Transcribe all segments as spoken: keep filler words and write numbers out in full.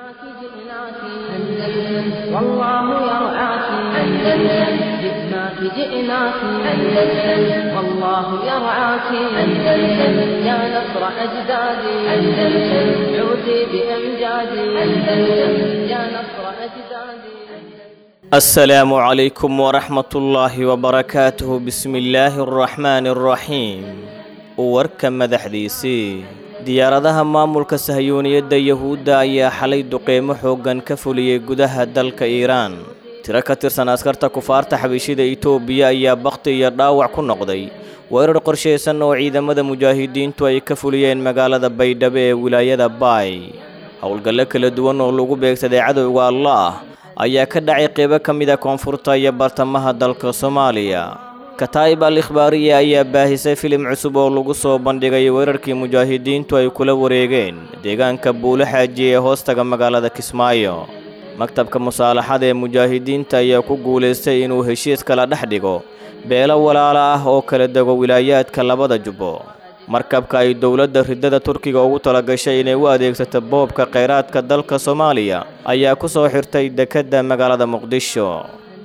جئناك أندلس والله يرعاك أندلس جئناك جئناك أندلس والله يرعاك أندلس يا نصر أجدادي أندلس عودي بأمجادي أندلس يا نصر أجدادي. السلام عليكم ورحمة الله وبركاته. بسم الله الرحمن الرحيم. Warka madaxdiisii. Diyaaradaha maamulka Sahyuuniyadda Yahuudda ayaa xalay duqeymo xooggan ka fuliyey gudaha dalka Iiraan. Tiro ka tirsan askarta kufaarta xabashida Itoobiya ayaa bakhti iyo dhaawac ku noqday weerar qorshaysan oo ciidamada mujaahidiintu ay ka fuliyeen magaalada Baydhabo ee wilaayada Baay. Howlgallo kala duwan oo lagu beegsaday cadowga Allaah ayaa ka dhacay qeybo ka mid ah koonfurta iyo bartamaha dalka Soomaaliya. Kataa'ib al-Ikhbaariya ayaa baahisay filim cusub oo lagu soo bandhigay weerarkii mujaahidiintu ay kula wareegeen deegaanka Buulo Xaaji ee hoostaga magaalada Kismaayo. Maktabka musaalaxada ee mujaahidiinta ayaa ku guulaystay inuu heshiis kala dhex dhigo beelo walaala ah oo kala dego wilaayaadka labada jubbo. Markabka ay dowladda riddada Turkiga ugu talagashay inay u adeegsato boobka kheyraadka dalka Soomaaliya ayaa ku soo xirtay dekedda magaalada Muqdisho.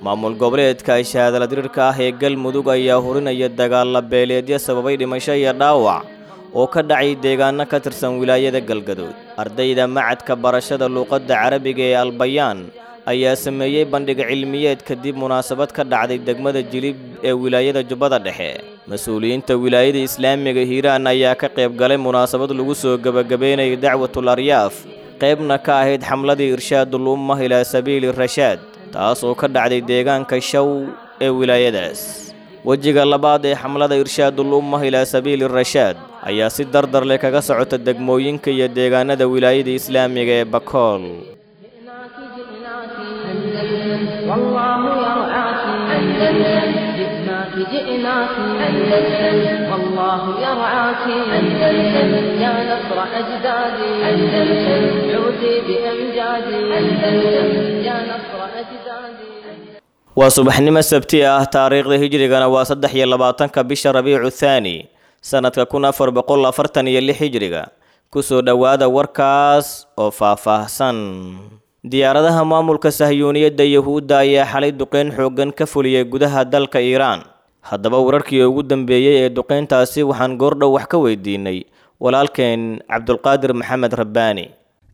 Maamul goboleedka shahaadala dirirka ah ee Galmudug ayaa hurinaya dagaal beeleedyo sababay dhimasho iyo dhaawac oo ka dhacay deegaano ka tirsan wilaayada Galgaduud. Ardayda macadka barashada luuqadda Carabiga ee Albayaan ayaa sameeyey bandhig cilmiyeed kadib munaasabad ka dhacday degmada Jilib ee wilaayada Jubbada Dhexe. Mas-uuliyiinta wilaayada Islaamiga Hiiraan ayaa ka qayb galay munaasabad lagu soo gabagabeynayay dacwatul aryaaf, qaybna ka ahayd xamladii irshaadul ummah ilaa sabiili rashaad, taas oo ka dhacday deegaanka Shaw ee wilaayadaas. Wejiga labaad ee xamlada irshaadul ummah ilaa sabiili rashaad ayaa si dardar leh kaga socota degmooyinka iyo deegaanada wilaayada Islaamiga ee Bakool. جئناك جئناك أندلس والله يرعاك أندلس جئناك جئناك أندلس والله يرعاك أندلس يا نصر أجدادي أندلس عودي بأمجادي أندلس يا نصر أجدادي. Waa subaxnimo sabti ah, taariikhda hijrigana waa saddex iyo labaatanka bisha Rabiicu Thaani sanadka kun afar boqol afartan iyo lix hijriga. Kusoo dhowaada warkaas oo faahfaahsan. Diyaaradaha maamulka Sahyuuniyadda Yahuudda ayaa xalay duqeyn xooggan ka fuliyey gudaha dalka Iiraan. Haddaba wararkii ugu dambeeyey ee duqeyntaasi waxaan goordhow wax ka weydiinay walaalkeen Cabdulqaadir Maxamed Rabbaani.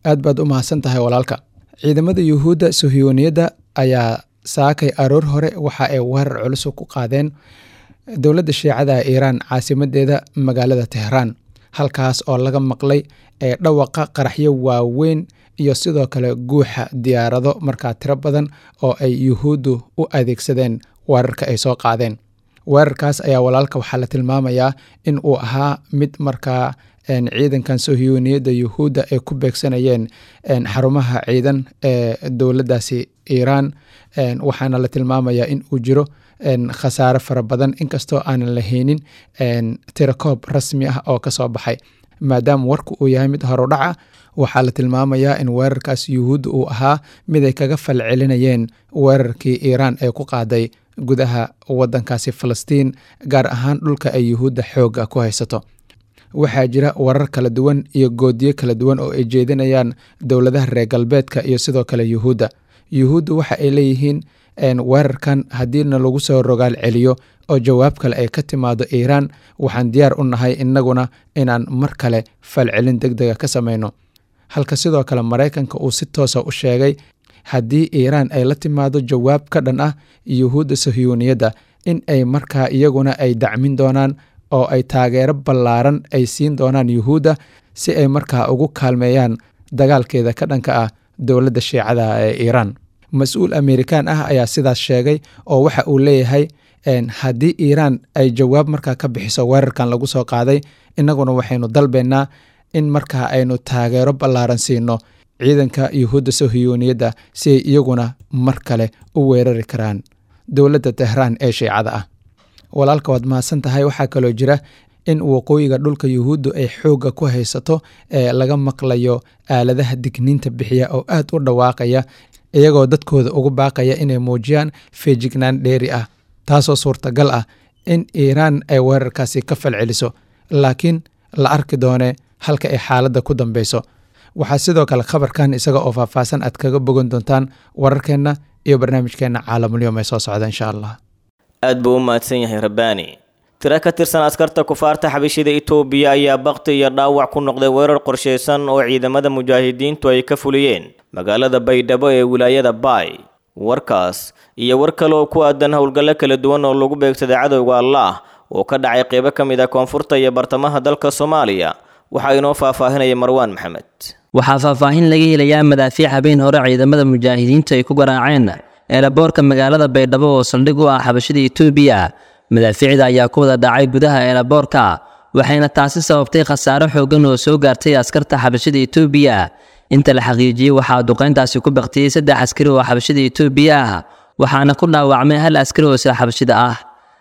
Aad baad u mahadsan tahay walaalka. Ciidamada Yuhuudda Sahyuuniyadda ayaa saakay aroor hore waxa ay weerar culus ku qaadeen dowladda Shiicada ee Iiraan caasimadeeda magaalada Tehraan, halkaas oo laga maqlay ee dhawaqa qaraxyo waaweyn iyo sidoo kale guuxa diyaarado markaa tiro badan oo ay Yuhuuddu u adeegsadeen weerarka ay soo qaadeen. Weerarkaas ayaa walaalka waxaa la tilmaamayaa in uu ahaa mid markaa ciidankan Sahyuuniyadda Yuhuudda ay ku beegsanayeen xarumaha ciidan ee dowladdaasi Iiraan, waxaana la tilmaamayaa in uu jiro khasaare fara badan, inkastoo aanan lahaynin tirakoob rasmi ah oo kasoo baxay. Maadaama warku uu yahay mid horudhaca, waxaa la tilmaamayaa in weerarkaas Yuhuudda uu ahaa mid ay kaga falcelinayeen weerarkii Iiraan ee ku qaaday gudaha wadankaasi Falastiin, gaar ahaan dhulka ay Yuhuudda xoogga ku haysato. Waxaa jira warar kala duwan iyo goodiyo kala duwan oo ay jeedinayaan dowladaha reer galbeedka iyo sidoo kale Yuhuudda. Yuhuudda waxa ay leeyihiin weerarkan haddiina lagu soo rogaal celiyo oo jawaab kale ay ka timaado Iiraan, waxaan diyaar u nahay innaguna inaan mar kale falcelin deg dega ka samayno. Halka sidoo kale Maraykanka uu si toosa u sheegay haddii Iiraan ay la timaado jawaab ka dhan ah Yuhuudda Sahyuuniyadda, in ay markaa iyaguna ay dacmin doonaan oo ay taageero ballaaran ay siin doonaan Yuhuudda si ay markaa ugu kaalmeeyaan dagaalkeeda ka dhanka ah dowladda Shiicada ee Iiraan. Mas-uul Amerikaan ah ayaa sidaas sheegay oo waxa uu leeyahay haddii Iiraan ay jawaab markaa ka bixiso weerarkan lagu soo qaaday, innaguna waxaynu dalbaynaa in markaa aynu taageero ballaaran siino ciidanka Yuhuudda Sahyuuniyadda si ay iyaguna mar kale u weerari karaan dowladda Tehraan ee Shiicada ah. Walaalka waad mahadsan tahay. Waxaa kaloo jira in waqooyiga dhulka Yuhuuddu ay xoogga ku haysato ee laga maqlayo aaladaha digniinta bixiya oo aad u dhawaaqaya, iyagoo dadkooda ugu baaqaya inay muujiyaan feejignaan dheeri ah, taasoo suurtagal ah in Iiraan ay weerarkaasi ka falceliso, laakiin la arki doone halka ay xaaladda ku dambeyso. Waxaa sidoo kale khabarkan isaga oo faahfaahsan aad kaga bogan doontaan wararkeenna iyo barnaamijkeenna Caalamulyoom ee soo socda insha Allah. Aad buu u mahadsan yahay Rabbaani. Tiro ka tirsan askarta kufaarta xabashida Itoobiya ayaa bakti iyo dhaawac ku noqday weerar qorshaysan oo ciidamada mujaahidiintu ay ka fuliyeen magaalada Baydhabo ee wilaayada Baay. Warkaas iyo war kale oo ku aadan howlgallo kala duwan oo lagu beegsaday cadowga Allaah oo ka dhacay qeybo ka mid ah koonfurta iyo bartamaha dalka Soomaaliya waxaa inoo faahfaahinaya Marwaan Maxamed. Waxaa faahfaahin laga helayaa madaafiic habeen hore ciidamada mujaahidiintu ay ku garaaceen eelaboorka magaalada Baydhabo oo saldhig u ah xabashida Itoobiya. Madaafiicda ayaa ku wada dhacay gudaha eelaboorka, waxayna taasi sababtay khasaare xooggan oo soo gaartay askarta xabashida Itoobiya. Inta la xaqiijiyey waxaa duqeyntaasi ku baktiyey saddex askari oo xabashida Itoobiya ah, waxaana ku dhaawacmay hal askari oo isla xabashida ah.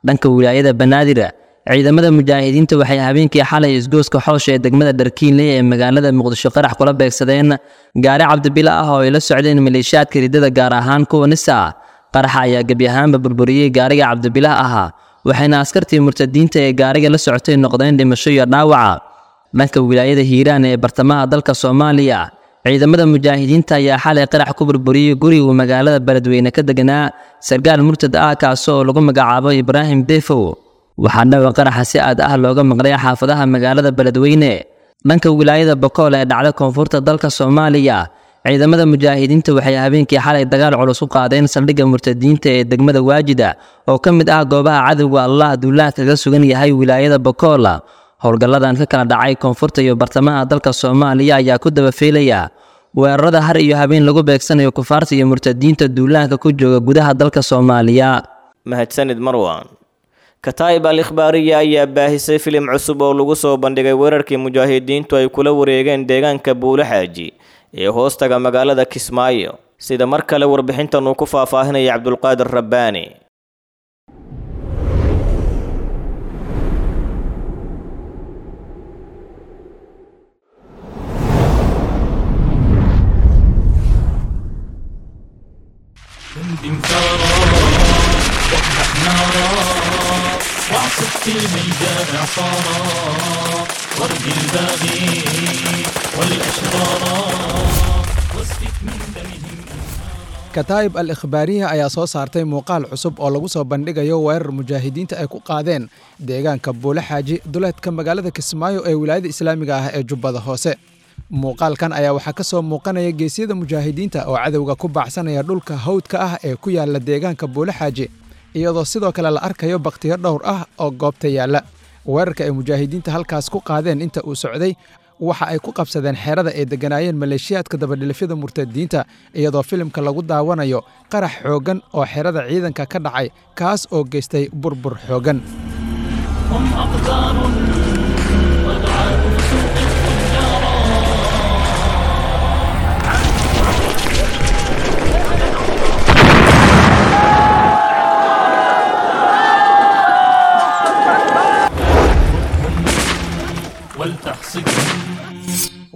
Dhanka wilaayada Banaadir, ciidamada mujaahidiinta waxay habeenkii xalay isgooska xoosha ee degmada Dharkiinle ee magaalada Muqdisho qarax kula beegsadeen gaari cabdibila ah oo ay la socdeen maleeshiyaadka riddada, gaar ahaan kuwa Nisa. Qaraxa ayaa gebi ahaanba burburiyey gaariga cabdibilah ahaa, waxayna askartii murtadiinta ee gaariga la socotay noqdeen dhimasho iyo dhaawaca. Dhanka wilaayada Hiiraan ee bartamaha dalka Soomaaliya, ciidamada mujaahidiinta ayaa xalay qarax ku burburiyey gurigu magaalada Beledweyne ka deganaa sarkaal murtad ah kaasoo lagu magacaabo Ibraahim Defow. Waxaa dhawa qaraxa si aad ah looga maqlay xaafadaha magaalada Beledweyne. Dhanka wilaayada Bokool ee dhacda koonfurta dalka Soomaaliya, ciidamada mujaahidiinta waxay habeenkii xalay dagaal culus u qaadeen saldhigga murtadiinta ee degmada Waajida oo ka mid ah goobaha cadowga Allah duulaha kaga sugan yahay wilaayada Bokool. Howlgalladan ka kala dhacay koonfurta iyo bartamaha dalka Soomaaliya ayaa ku daba feelaya weerarada har iyo habeen lagu beegsanayo kufaarta iyo murtadiinta duulaanka ku jooga gudaha dalka Soomaaliya. Mahadsanid Marwaan. Kataa'ib al-Ikhbaariya ayaa baahisay filim cusub oo lagu soo bandhigay weerarkii mujaahidiintu ay kula wareegeen deegaanka Buulo Xaaji ee hoostaga magaalada Kismaayo. Sida mar kale warbixintan uu ku faahfaahinaya Cabdulqaadir Rabbaani. واعصف في الميدان عصارا وارد الباغي والأشرارا واسفك من دمهم. Kataa'ib al Ikhbaariya ayaa soo saartay muuqaal cusub oo lagu soo bandhigayo weerar mujaahidiinta ay ku qaadeen deegaanka Buulo Xaaji duleedka magaalada Kismaayo ee wilaayada islaamiga ah ee Jubbada Hoose. Muuqaalkan ayaa waxaa ka soo muuqanaya geesiyada mujaahidiinta oo cadowga ku baacsanaya dhulka hawdka ah ee ku yaala deegaanka Buulo Xaaji, iyadoo sidoo kale la arkayo baktiyo dhowr ah oo goobta yaalla. Weerarka ay mujaahidiinta halkaas ku qaadeen inta uu socday waxa ay ku qabsadeen xeerada ay degganaayeen maleeshiyaadka dabadhilifyada murtadiinta, iyadoo filimka lagu daawanayo qarax xooggan oo xeerada ciidanka ka dhacay, kaas oo geystay burbur xooggan. هم أقدار ودعاة سوق الفجارا. ولتحصدهم.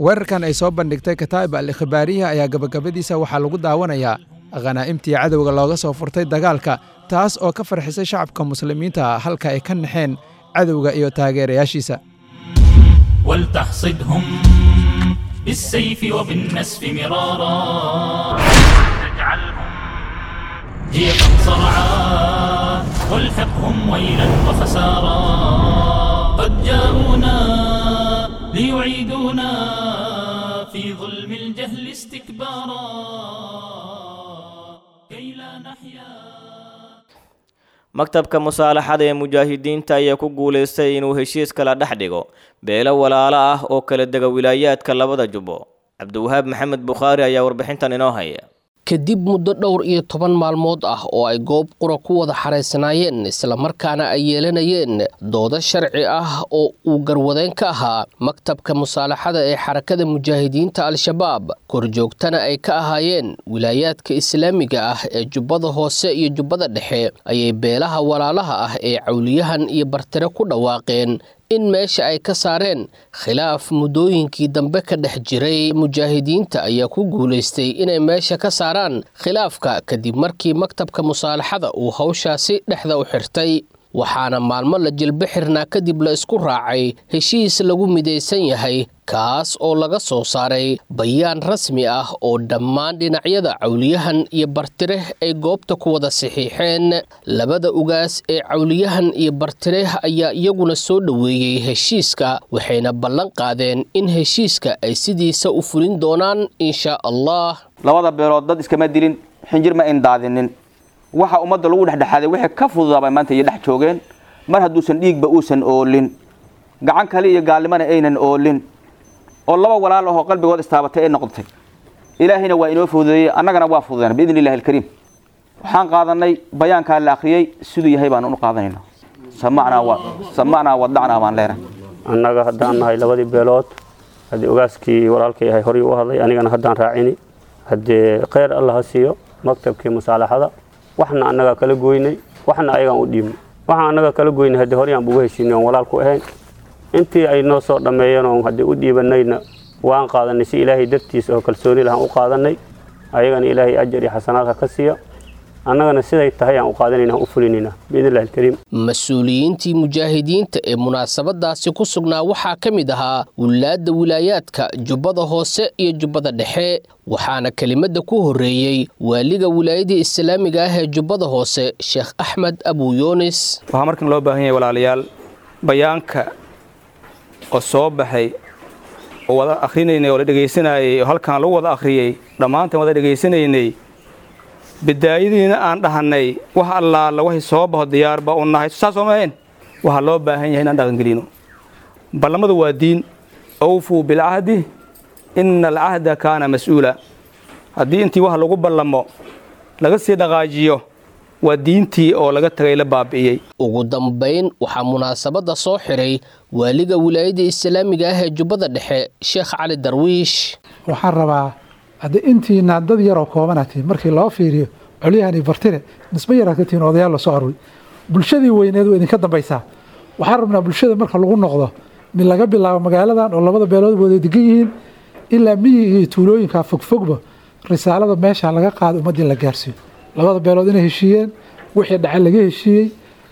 Weerarkan ay soo bandhigtay Kataa'ib al Ikhbaariya ayaa gabagabadiisa waxaa lagu daawanayaa khanaa'imtii cadowga looga soo furtay dagaalka, taas oo ka farxisay shacabka muslimiinta halka ay ka naxeen cadowga iyo taageerayaashiisa. ولتحصدهم بالسيف وبالنسف مرارا، تجعلهم جيفا صرعا والحقهم ويلا وخسارا. قد جاءونا ليعيدونا في ظلم الجهل استكبارا كي لا نحيا. Maktabka musaalaxada ee mujaahidiinta ayaa ku guulaystay inuu heshiis kala dhex dhigo beelo walaalo ah oo kala dega wilaayaadka labada jubbo. Cabdiwahaab Maxamed Bukhaari ayaa warbixintan inoo haya. Kadib muddo dhowr iyo toban maalmood ah oo ay goob qura ku wada xaraysanaayeen islamarkaana ay yeelanayeen doodo sharci ah oo uu garwadeen ka ahaa maktabka musaalaxada ee xarakada mujaahidiinta Al-Shabaab, korjoogtana ay ka ahaayeen wilaayaadka islaamiga ah ee Jubbada Hoose iyo Jubbada Dhexe, ayay beelaha walaalaha ah ee Cawliyahan iyo Bartire ku dhawaaqeen in meesha ay ka saareen khilaaf muddooyinkii dambe ka dhex jiray. Mujaahidiinta ayaa ku guulaystay inay meesha ka saaraan khilaafka kadib markii maktabka musaalaxada uu hawshaasi dhexda u xirtay. Waxaana maalmo la jilba xirnaa kadib la isku raacay heshiis lagu midaysan yahay, kaas oo laga soo saaray bayaan rasmi ah oo dhammaan dhinacyada Cawliyahan iyo Bartireh ay goobta ku wada saxiixeen. Labada ugaas ee Cawliyahan iyo Bartireh ayaa iyaguna soo dhoweeyey heshiiska, waxayna ballan qaadeen in heshiiska ay sidiisa u fulin doonaan insha Allah. Labada beelood dad iskama dilin, xinjir ma indaadinin. Waxa ummadda lagu dhexdhexaaday wixii ka fududaabay maanta iyo dhex joogeen. Mar hadduusan dhiigba uusan oolin, gacan kale iyo gaalnimana aynan oolin, oo laba walaal ahoo qalbigood istaabatay ay noqotay, ilaahayna waa inoo fududeeyey, annagana waa fududeen biidni illahi alkariim. Waxaan qaadanay bayaankaa la akhriyey, siduu yahay baan u qaadanayna. Samacnaa wa samacnaa wadacnaa baan leenahay. Annaga haddaan nahay labadii beelood, haddii ogaaskii walaalkay ahay horay u hadlay, anigana haddaan raacini, haddii kheyr alla ha siiyo maktabkii musaalaxada. Waxna annagaa kala goynay, waxna ayagaan u dhiibnay. Waxaan annaga kala goynay haddii horeyaan uga heshiinay oon walaalku ahayn, intii ay noo soo dhammeeyeen oon haddii u dhiibanayna waan qaadanay si ilaahay dartiisa oo kalsooni lahaan u qaadanay. Ayagana ilaahay ajar iyo xasanaad ha ka siiya, annagana siday tahay aan u qaadanayna, aan u fulinayna biidni illahi alkariim. Mas-uuliyiintii mujaahidiinta ee munaasabadaasi ku sugnaa waxaa ka mid ahaa wulaadda wilaayaadka Jubbada Hoose iyo Jubbada Dhexe, waxaana kelimadda ku horreeyey waaliga wilaayadii islaamiga ah ee Jubbada Hoose, Sheekh Axmed Abu Yuunis. Waxaa markan loo baahan yahay walaalayaal, bayaanka oo soo baxay oo wada akhrinaynay oo la dhegaysanayay oo halkan lagu wada akhriyey, dhammaanteen wada dhegaysanaynay, bidaayadiina aan dhahannay wax allaala waxay soo baxo diyaarba u nahay, saas oo maahayn. Waxaa loo baahan yahay inaan dhaqangelino ballamadu. Waa diin, awfuu bilcahdi ina alcahda kaana mas-uula. Haddii intii wax lagu ballamo laga sii dhaqaajiyo, waa diintii oo laga tagay, la baabi'iyey. Ugu dambayn waxaa munaasabadda soo xiray waaliga wilaayadda islaamiga ah ee Jubbada Dhexe, Sheekh Cali Darwiish. Waxaan rabaa haddii intiina dad yaroo koobanaa tihiin, markii loo fiiriyo Colyahan iyo Bartire nisbe yaraad ka tihiin odayaal la soo aruuray, bulshadii weyneed waa idinka dambaysaa. Waxaan rabnaa bulshada marka lagu noqdo mid laga bilaabo magaaladan oo labada beelood wada degan yihiin ilaa miyiga iyo tuulooyinka fogfogba, risaalada meesha laga qaado ummaddii la gaarsiiyo, labada beelood inay heshiiyeen, wixii dhacay laga heshiiyey,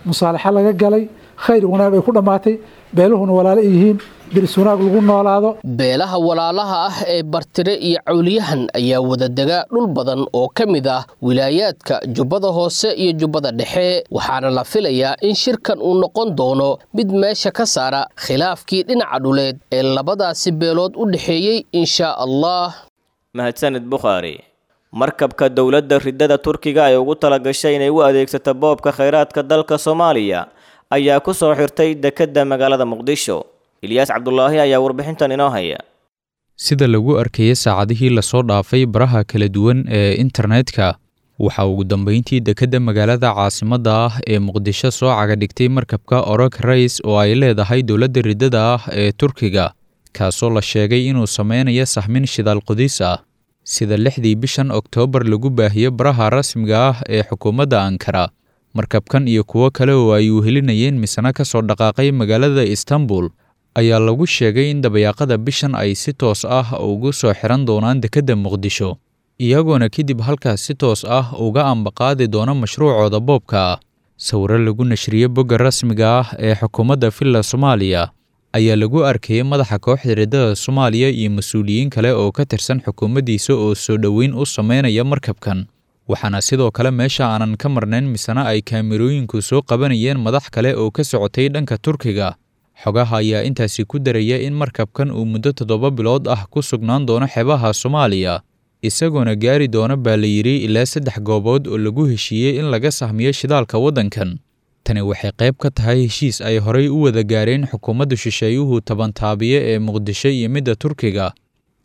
musaalaxa laga galay, khayr wanaag ay ku dhammaatay, beeluhuna walaalo ay yihiin, deris wanaag lagu noolaado. Beelaha walaalaha ah ee Bartire iyo Cawliyahan ayaa wadadega dhul badan oo ka mid ah wilaayaadka Jubbada Hoose iyo Jubbada Dhexe, waxaana la filayaa in shirkan uu noqon doono mid meesha ka saara khilaafkii dhinaca dhuleed ee labadaasi beelood u dhexeeyey insha Allah. Mahadsanid Bukhaari. Markabka dowladda ridada Turkiga ay ugu talagashay inay u adeegsato boobka khayraadka dalka Soomaaliya ayaa ku soo xirtay dekedda magaalada Muqdisho. Ilyaas Cabdulaahi ayaa warbixintan inoo haya. Sida lagu arkayay saacadihii lasoo dhaafay baraha kala duwan ee internetka, waxaa ugu dambeyntii dekedda magaalada caasimadda ah ee Muqdisho soo cagadhigtay markabka Orok Rays oo ay leedahay dowladda riddada ah ee Turkiga, kaasoo la sheegay inuu sameynayo sahmin shidaal qodis ah. Sida lixdii bishan Oktoobar lagu baahiyo baraha rasmiga ah ee xukuumadda Ankara, markabkan iyo kuwo kale oo ay uhelinayeen misana ka soo dhaqaaqay magaalada Istanbul ayaa lagu sheegay in dabayaaqada bishan ay si toos ah ugu soo xiran doonaan dekedda Muqdisho, iyagoona kadib halkaas si toos ah uga ambaqaadi doona mashruucooda boobka ah. Sawiro lagu nashriyey bogga rasmiga ah ee xukuumadda Villa Soomaaliya ayaa lagu arkayay madaxa kooxda riddada Soomaaliya iyo mas-uuliyiin kale oo ka tirsan xukuumaddiisa oo soo dhoweyn u sameynaya markabkan, waxaana sidoo kale meesha aanan ka marnayn misena ay kaamirooyinku soo qabanayeen madax kale oo ka socotay dhanka Turkiga. Xogaha ayaa intaasi ku daraya in markabkan uu muddo toddoba bilood ah ku sugnaan doono xeebaha Soomaaliya, isagoona gaari doona baa la yidhi ilaa saddex goobood oo lagu heshiiyey in laga sahmiyo shidaalka waddankan. Tani waxay qayb ka tahay heshiis ay horay u wada gaareen xukuumadda shisheeyuhu tabantaabiye ee Muqdisho iyo midda Turkiga.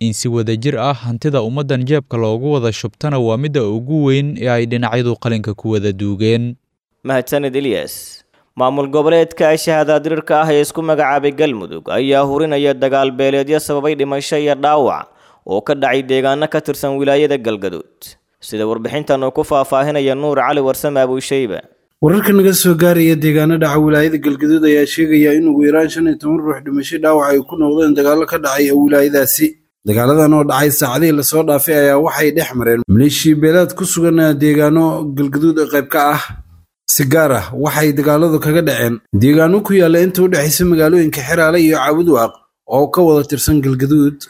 In si wadajir ah hantida ummaddan jeebka loogu wada shubtana waa midda ugu weyn ee ay dhinacyadu qalinka ku wada duugeen. Mahadsanid Ilyas. Maamul goboleedka shahaadaadirirka ah ee isku magacaabay Galmudug ayaa hurinaya dagaal beeleedyo sababay dhimasho iyo dhaawac oo ka dhacay deegaano ka tirsan wilaayada Galgaduud, sida warbixintan uu ku faahfaahinaya Nuur Cali Warsame Abuushayba. Wararka naga soo gaaraya deegaano dhaca wilaayada Galgaduud ayaa sheegaya in ugu yaraan shan iyo toban ruux dhimasho dhaawac ay ku noqdeen dagaallo ka dhacay wilaayadaasi. Dagaaladan oo dhacay saacadihii lasoo dhaafay ayaa waxay dhex mareen maleeshiya beelaad ku sugan deegaano Galgaduud qayb ka ah. Si gaar ah waxay dagaaladu kaga dhaceen deegaano ku yaalla inta u dhexaysa magaalooyinka Xeraale iyo Caabudwaaq oo ka wada tirsan Galgaduud.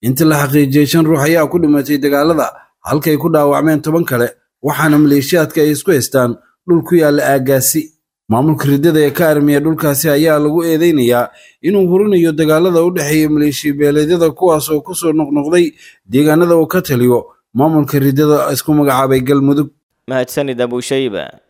Inta la xaqiijiyey shan ruux ayaa ku dhimatay dagaalada, halkay ku dhaawacmeen toban kale, waxaana maleeshiyaadka ay isku haystaan dhul ku yaalla aaggaasi. Maamulka riddada ee ka armiya dhulkaasi ayaa lagu eedeynayaa inuu hurinayo dagaalada u dhexeeya maleeshiya beeleedyada, kuwaas oo kusoo noqnoqday deegaanada uu ka taliyo maamulka riddada isku magacaabay Galmudug. Mahadsanid Abushayba.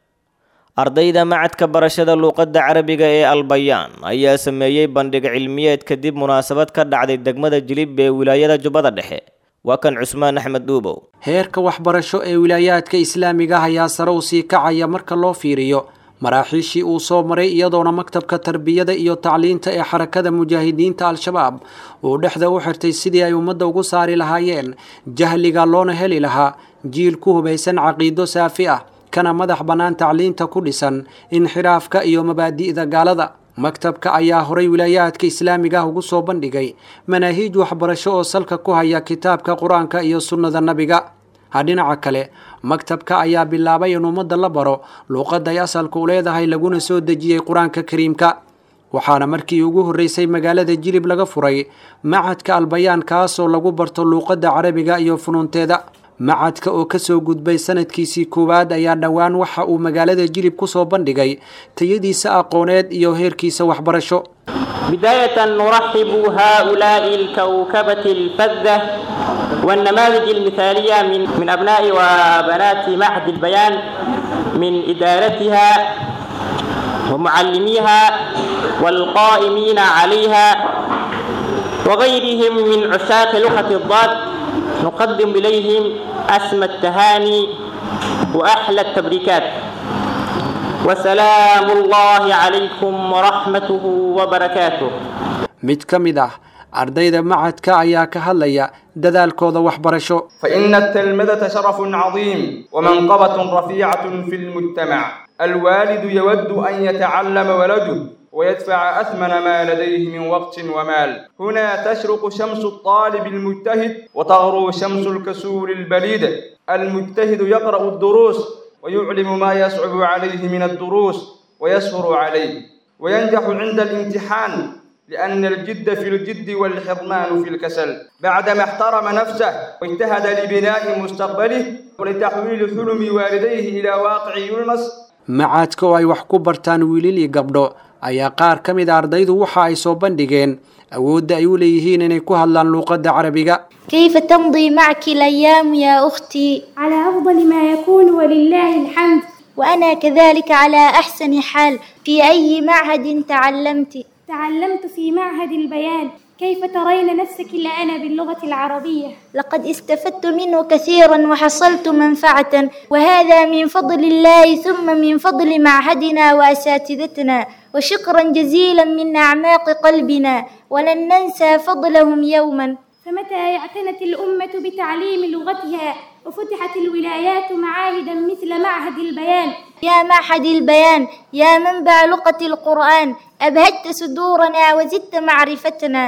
Ardayda macadka barashada luuqadda carabiga ee Albayaan ayaa sameeyey bandhig cilmiyeed kadib munaasabad ka dhacday degmada Jilib ee wilaayada Jubbada Dhexe. Waa kan Cusmaan Axmed Dhuubow. Heerka waxbarasho ee wilaayaadka islaamiga ah ayaa sare u sii kacaya marka loo fiiriyo maraaxiishii uu soo maray, iyadoona maktabka tarbiyada iyo tacliinta ee xarakada mujaahidiinta Al-Shabaab uu dhexda u xirtay sidii ay ummadda ugu saari lahaayeen jahliga loona heli lahaa jiil ku hubaysan caqiido saafi ah kana madax bannaan tacliinta ku dhisan inxiraafka iyo mabaadi'da gaalada. Maktabka ayaa horay wilaayaadka islaamiga ah ugu soo bandhigay manaahiij waxbarasho oo salka ku haya kitaabka qur-aanka iyo sunnada nabiga. Dhinaca kale, maktabka ayaa bilaabay in ummadda la baro luuqadda ay asalka u leedahay laguna soo dejiyey qur-aanka kariimka, waxaana markii ugu horreysay magaalada Jilib laga furay macadka Albayaan, kaasoo lagu barto luuqadda carabiga iyo funuunteeda. Macadka oo kasoo gudbay sanadkiisii koowaad ayaa dhowaan waxa uu magaalada Jilib kusoo bandhigay tayadiisa aqooneed iyo heerkiisa waxbarasho. بداية نرحب هؤلاء الكوكبة الفذة والنماذج المثالية من, من أبناء وبنات معهد البيان من إدارتها ومعلميها والقائمين عليها وغيرهم من عشاق لغة الضاد، نقدم إليهم أسمى التهاني وأحلى التبريكات، وسلام الله عليكم ورحمته وبركاته. Mid ka mid ah ardayda macadka ayaa ka hadlaya dadaalkooda waxbarasho. فإن التلمذة شرف عظيم ومنقبة رفيعة في المجتمع. الوالد يود أن يتعلم ولده ويدفع أثمن ما لديه من وقت ومال. هنا تشرق شمس الطالب المجتهد وتغرو شمس الكسول البليد. المجتهد يقرأ الدروس ويعلم ما يصعب عليه من الدروس ويسهر عليه وينجح عند الامتحان، لأن الجد في الجد والحرمان في الكسل. بعدما احترم نفسه واجتهد لبناء مستقبله ولتحويل حلم والديه إلى واقع يلمس. Macadka oo ay wax ku bartaan wiilal iyo gabdho ayaa qaar ka mid a ardaydu waxa ay soo bandhigeen awoodda ay u leeyihiin inay ku hadlaan luuqadda carabiga. كيف تمضي معك الأيام يا أختي؟ على أفضل ما يكون ولله الحمد. وأنا كذلك على أحسن حال. في أي معهد تعلمت؟ تعلمت في معهد البيان. كيف ترين نفسك الآن باللغة العربية؟ لقد استفدت منه كثيرا وحصلت منفعة، وهذا من فضل الله ثم من فضل معهدنا وأساتذتنا، وشكرا جزيلا من أعماق قلبنا، ولن ننسى فضلهم يوما. فمتى اعتنت الأمة بتعليم لغتها وفتحت الولايات معاهدا مثل معهد البيان؟ يا معهد البيان، يا منبع لغة القرآن، أبهجت صدورنا وزدت معرفتنا.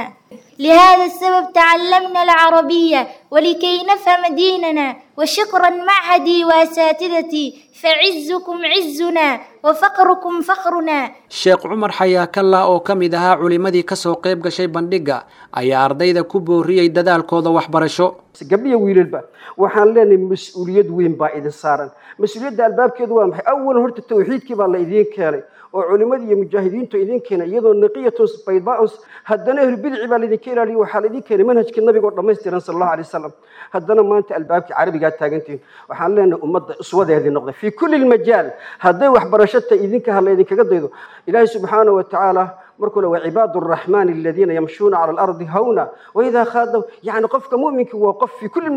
لهذا السبب تعلمنا العربية ولكي نفهم ديننا، وشكرا معهدي وأساتذتي، فعزكم عزنا وفقركم فخرنا. Sheekh Cumar Xayaakalla oo ka mid ahaa culimadii ka soo qayb gashay bandhigga ayaa ardayda ku booriyey dadaalkooda waxbarasho. Gabdhiyo wiilalba waxaan leenahay mas-uuliyad weyn baa idin saaran. Mas-uuliyadda albaabkeedu waa maxay? Awalan horta tawxiidkii baa la idiin keenay oo culimadii iyo mujaahidiintu idiin keenay, iyadoo naqiyatun baydaaun, haddana ahlu bidci baa laidinka ilaaliyo, waxaa laidin keenay manhajkii nabiga oo dhammaystiran sala allahu alay wasalam. Haddana maanta albaabkii carabigaa taagantihiin. Waxaan leenahay ummadda uswadeedii noqday fii kulli lmajaal. Hadday waxbarasho tahay idinka ha laydinkaga daydo. Ilaahay subxaanahu wa tacaala markuu le wacibaadu araxmaani aladiina yamshuuna cala alardi hawna waidaa khaadaw, yacni qofka mu'minka waa qof fii kulli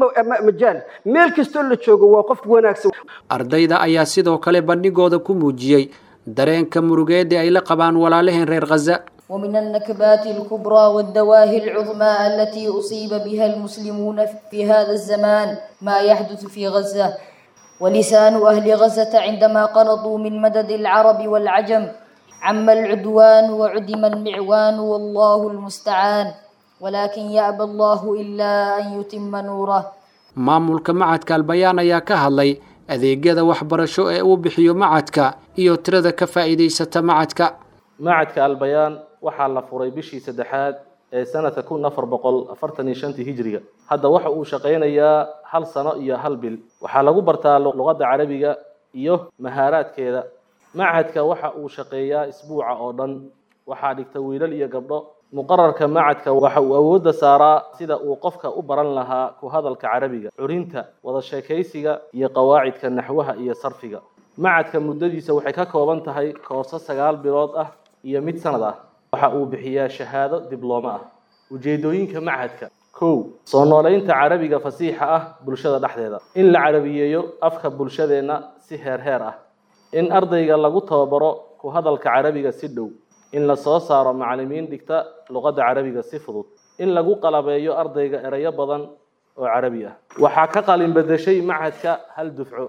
majaal, meel kastoo la joogo waa qof wanaagsan. Ardayda ayaa sidoo kale bandhigooda ku muujiyey dareenka murugeed ee ay la qabaan walaalaheen reer Gaza. ومن النكبات الكبرى والدواهي العظمى التي أصيب بها المسلمون في هذا الزمان ما يحدث في غزة. ولسان أهل غزة عندما قنطوا من مدد العرب والعجم عم العدوان وعدم المعوان والله المستعان، ولكن يأبى الله إلا أن يتم نوره. Maamulka macadka Albayaan ayaa ka hadlay Adeegyada waxbarasho ee uu bixiyo macadka iyo tirada ka faa'iidaysata macadka. Macadka Albayaan waxaa la furay bishii saddexaad ee sanadka kun afar boqol afartan iyo shantii hijriga. Hadda waxa uu shaqaynayaa hal sano iyo hal bil. Waxaa lagu bartaa luqadda carabiga iyo mahaaraadkeeda. Macadka waxa uu shaqeeyaa isbuuca oo dhan. Waxaa dhigta wiilal iyo gabdho. Muqararka macadka waxa uu awoodda saaraa sida uu qofka u baran lahaa ku hadalka carabiga, curinta, wada sheekaysiga iyo qawaacidka naxwaha iyo sarfiga. Macadka muddadiisa waxay ka kooban tahay koorso sagaal bilood ah iyo mid sanad ah. Waxa uu bixiyaa shahaado diblooma ah. Ujeedooyinka macadka: kow, soo noolaynta carabiga fasiixa ah bulshada dhexdeeda, in la carabiyeeyo afka bulshadeenna si heer heer ah, in ardayga lagu tababaro ku hadalka carabiga si dhow, in la soo saaro macallimiin dhigta luqadda carabiga si fudud, in lagu qalabeeyo ardayga erayo badan oo carabi ah. Waxaa ka qalin bedeshay macadka hal dufco.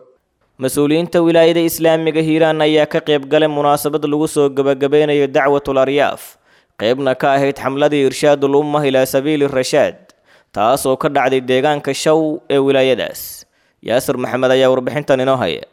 Mas-uuliyiinta wilaayada islaamiga Hiiraan ayaa ka qayb galay munaasabad lagu soo gabagabeynayo dacwatul aryaaf, qaybna ka ahayd xamladii irshaadul ummah ilaa sabiili rashaad, taas oo ka dhacday deegaanka Shaw ee wilaayadaas. Yaasir Maxamed ayaa warbixintan inoo haya.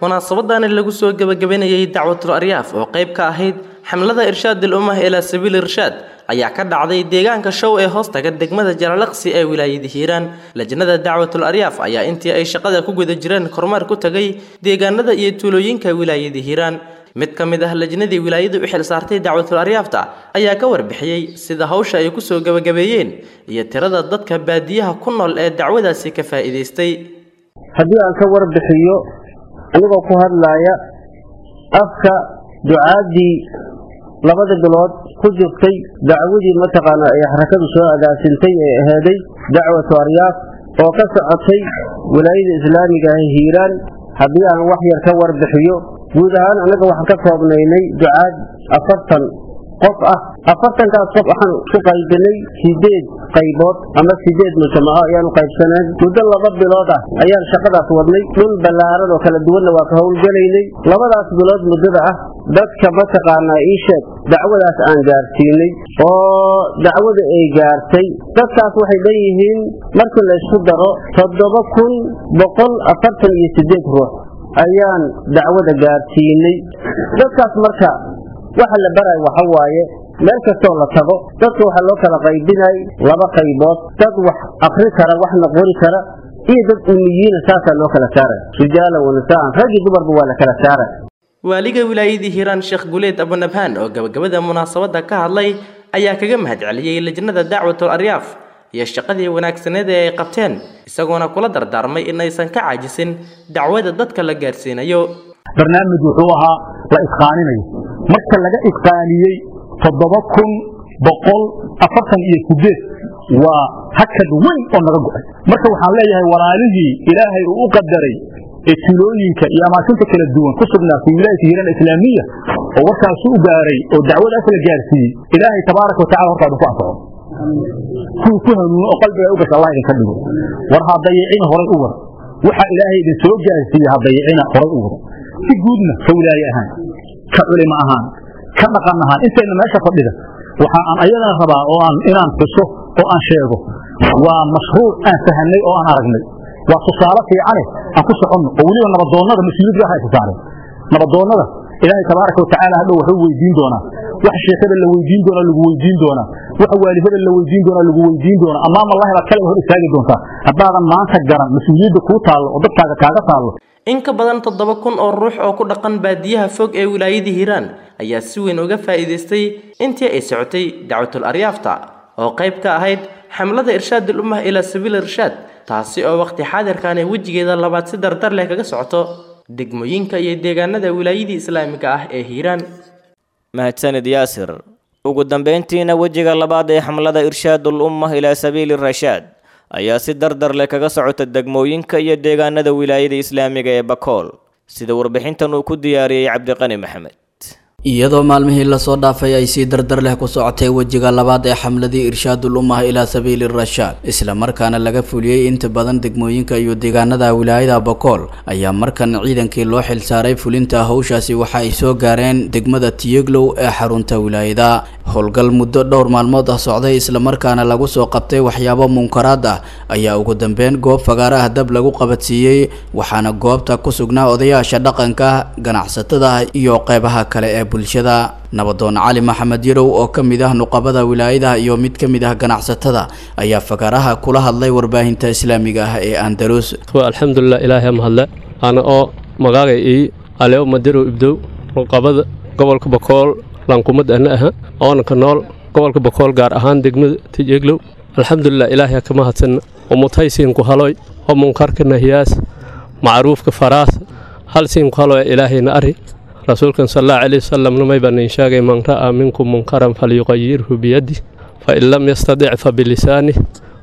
Munaasabadani lagu soo gabagabeynayay dacwatul aryaaf oo qayb ka ahayd xamlada irshaadul ummah ilaa sabiili rashaad ayaa ka dhacday deegaanka Show ee hoostaga degmada Jalalaqsi ee wilaayada Hiiraan. Lajnada dacwatul aryaaf ayaa intii ay shaqada ku guda jireen kormeer ku tagay deegaanada iyo tuulooyinka wilaayada Hiiraan. Mid ka mid ah lajnadii wilaayadu u xil saartay dacwatul aryaafta ayaa ka warbixiyey sida hawsha ay ku soo gabagabeeyeen iyo tirada dadka baadiyaha ku nool ee dacwadaasi ka faa'iidaystay. Haddii aan ka warbixiyo anigoo ku hadlaaya afka ducaadii labada bilood ku jirtay dacwadii mataqaanaa ay xarakadu soo agaasintay ee aheeday dacwatu aryaaf oo ka socotay wilaayada islaamiga ah Hiiraan, haddii aan wax yar ka warbixiyo guud ahaan anaga waxaan ka koobnaynay ducaad afartan qof ah. Afartankaas qof waxaan ku qaybinay sideed qaybood ama sideed mujtamaco ayaanu qaybsaneen. Muddo laba bilood ah ayaan shaqadaas wadnay, dhul ballaaran oo kala duwanna waa ka howlgelaynay. Labadaas bilood muddada ah dadka mataqaanaa ii sheeg dacwadaas aan gaarsiinay oo dacwada ay gaartay dadkaas waxay leeyihiin markii la isku daro toddoba kun boqol afartan iyo sideed ruux ayaan dacwada gaarsiinay. Dadkaas marka waxa la baray waxa waaye meel kastoo la tago dadka waxaa loo kala qaybinay laba qaybood, dad wax akri kara waxna qori kara iyo dad umiyiina, saasaa loo kala saaray, rijaalan wa nisaan, rag iyo dumarba waa la kala saaray. Waaliga wilaayadii Hiiraan Sheekh Guleed Abunabhaan oo gabagabada munaasabadda ka hadlay ayaa kaga mahadceliyey lajnada dacwatul aryaaf iyo shaqadii wanaagsaneed ee ay qabteen, isagoona kula dardaarmay in aysan ka caajisin dacwada dadka la gaarsiinayo. Barnaamij wuxuu ahaa la isqaaninayo, marka laga isqaaniyey toddoba kun boqol afartan iyo sideed waa hakad weyn oo naga go'ay. Marka waxaan leeyahay walaalihii ilaahay uu u qadaray ee tuulooyinka iyo amaakinta kala duwan ku sugnaa fi wilaayati Hiiraan Islaamiya oo warkaasi u gaaray oo dacwadaas la gaarsiiyey, ilaahay tabaaraka watacala horta idinku anfaco, kuwii ku hanuuno oo qalbiga u gasha Allah idinka dhigo. War ha dayicina, horay u war waxa ilaahay idin soo gaarsiiyey, ha dayicina, horay u war. Si guudna ka wilaaye ahaan, ka culimo ahaan, ka dhaqan ahaan, intayna meesha fadhida waxa aan ayadana rabaa oo aan inaan xuso oo aan sheego waa mashruuc aan fahanay oo aan aragnay, waa tusaale fiicane aan ku soconno oo weliba nabadoonnada mas-uuliyad gaar ay saareen. Nabadoonnada ilaahay tabaaraka watacaala hadhow wuxuu weydiin doonaa, wax sheekada la weydiin doonaa lagu weydiin doonaa, wax waalidada la weydiin doonaa lagu weydiin doonaa, amaam allahi baad kale hor istaagi doontaa haddaadan maanta garan mas-uuliyadda kuu taallo oo dadkaaga kaaga taallo. In ka badan toddoba kun oo ruux oo ku dhaqan baadiyaha fog ee wilaayada Hiiraan ayaa si weyn uga faa'iidaystay intii ay socotay dacwatul aryaafta oo qayb ka ahayd xamlada irshaadul ummah ilaa sabiili irshaad, taasi oo waqti xaadirkan ay wejigeeda labaad si dardar leh kaga socoto degmooyinka iyo deegaanada wilaayadii islaamiga ah ee Hiiraan. Mahadsanid Yaasir. Ugu dambeyntiina wejiga labaad ee xamlada irshaadul ummah ilaa sabiili rashaad ayaa si dardar leh kaga socota degmooyinka iyo deegaanada wilaayada islaamiga ee Bakool, sida warbixintan uu ku diyaariyey Cabdiqani Maxamed. Iyadoo maalmihii lasoo dhaafay ay si dardar leh ku socotay wejiga labaad ee xamladii irshaadul ummah ilaa sabiili rashaad, isla markaana laga fuliyey inta badan degmooyinka iyo deegaanada wilaayada Bakool, ayaa markan ciidankii loo xilsaaray fulinta hawshaasi waxa ay soo gaareen degmada Tiyeglow ee xarunta wilaayada. Howlgal muddo dhowr maalmood ah socday islamarkaana lagu soo qabtay waxyaabo munkaraad ah ayaa ugu dambeyn goob fagaara ah dab lagu qabadsiiyey, waxaana goobta ku sugnaa odayaasha dhaqanka, ganacsatada iyo qeybaha kale ee bulshada. Nabadoon Cali Maxamed Yarow oo ka mid ah nuqabada wilaayadaha iyo mid ka mid ah ganacsatada ayaa fagaaraha kula hadlay warbaahinta islaamiga ah ee Andalus. Alxamdulilah, ilaahay mahadle. Ana oo magaagay ii Alew Madirow Ibdow, nuqabada gobolka Bakool lankumad ana aha, oona ka nool gobolka Bakool gaar ahaan degmada Tijeeglow. Alxamdulilah, ilaahay ka mahadsan umutaysiin ku haloy oo munkarka nahiyaas macruufka faraas hal siin ku haloy ilaahayna ari. Rasuulkan sal allahu calayhi wasalam numay baan in sheegay: man ra'aa minkum munkaran falyuqayirhu biyadih, fain lam yastadic fabilisanih,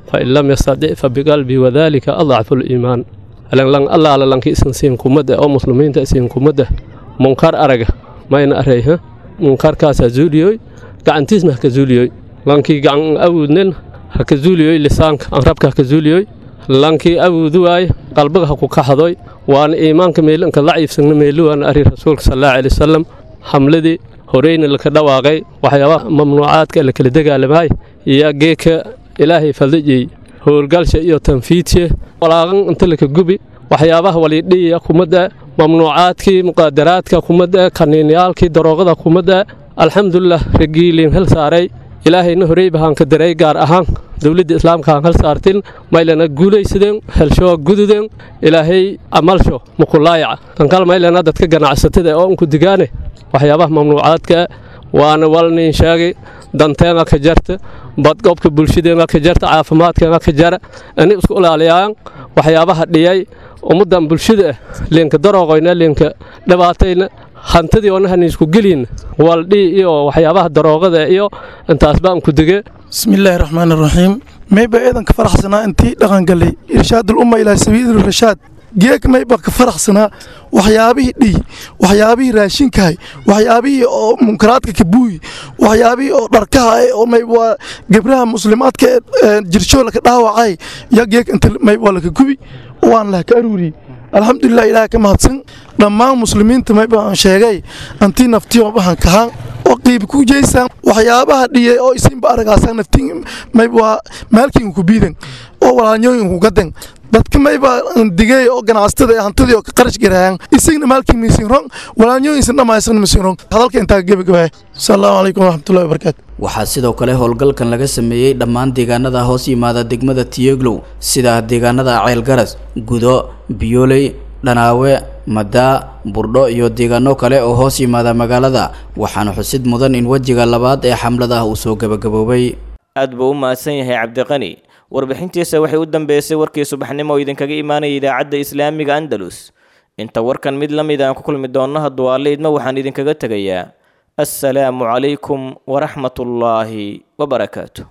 fain lam yastadic fabiqalbi, wadalika adcafu liimaan. Lang allaala lanki isan siin kumada oo muslimiinta siin kumada munkar araga mayna arayha munkarkaasaa zuuliyoy, gacantiisna haka zuuliyoy. Lankii gacan awoodnen haka zuuliyoy, lisaanka anrabka haka zuuliyoy. Lankii awoodu waaye qalbiga ha ku kaxdoy, waana iimaanka meelanka laciifsagna meeluwaana ari rasuulka sal allahu calayhi wasalam. Xamladii horeyna laka dhawaaqay waxyaabaha mamnuucaadka la kala dagaalamaay iyo geeka ilaahay fadlijiyey howlgalsha iyo tanfiidsiya walaaqan inta laka gubi waxyaabaha walidhiya kumada mamnuucaadkii muqaadaraadka kumada kaniinyaalkii daroogada kumada. Alxamdulilah, ragiiliin hal saaray ilaahayna horey bahaan ka daray, gaar ahaan dowladda islaamka aan hal saartin maylana guulaysadeen helsho gududeen ilaahay amalsho mukulaayaca. Tankal maylana dadka ganacsatada oo unku digaane waxyaabaha mamnuucaadka waana walnin sheegay danteena ka jarta, badqobka bulshadeena ka jarta, caafimaadkeena ka jara, ani isku ilaaliyaan waxyaabaha dhiyay ummaddan bulshada ah leenka darooqoyna leenka dhibaatayna hantidii oona isku gelin waldhi iyo waxyaabaha daroogada iyo intaas baan ku dige. Bismillaahi raxmaani raxiim. Mayba eedan ka faraxsanaa intii dhaqan galay irshaadul umma ilaa sabiili rashaad. Geek mayba ka faraxsanaa waxyaabihii dhiy, waxyaabihii raashinkahay, waxyaabihii oo munkaraadka ka buuyi, waxyaabihii oo dharkaha oo mayb waa gebraha muslimaadka ee jirshoo laka dhaawacay ya geek inta mayb waa laka gubi waan lah ka aruuriyey. Alxamdulilah, ilaah ka mahadsan. Dhammaan muslimiinta mayba aan sheegay antii naftiyo waxaan kahaan oo qiib ku jeysaan waxyaabaha dhiyay oo isinba aragaasaan naftiin mayb waa maalkiin ku biidan oo walaalnyooyin ku gadan. Dadka mayba digay oo ganacsatada ee hantidii oo ka qarash garayaan isagna maalkii misin rong walaalnyooyinsan dhammaysan misin rong. Hadalka intaa gebagabaya. Asalaamu calaykum waraxmatullahi wabarakaatu. Waxaa sidoo kale howlgalkan laga sameeyey dhammaan deegaanada hoos yimaada degmada Tiyeglow, sida deegaanada Ceelgaras, Gudo, Biyooley, Dhanaawe, Madaa, Burdho iyo deegaano kale oo hoos yimaada magaalada. Waxaana xusid mudan in wejiga labaad ee xamlada uu soo gabagaboobay. Aad buu u mahadsan yahay Cabdiqani. Warbixintiisa waxay u dambeysay warkii subaxnimo oo idinkaga imaanaya idaacadda islaamiga Andalus. Inta warkan mid la mid aan ku kulmi doonno hadduu Alle idmo, waxaan idinkaga tegayaa assalaamu calaykum waraxmatullaahi wabarakaatu.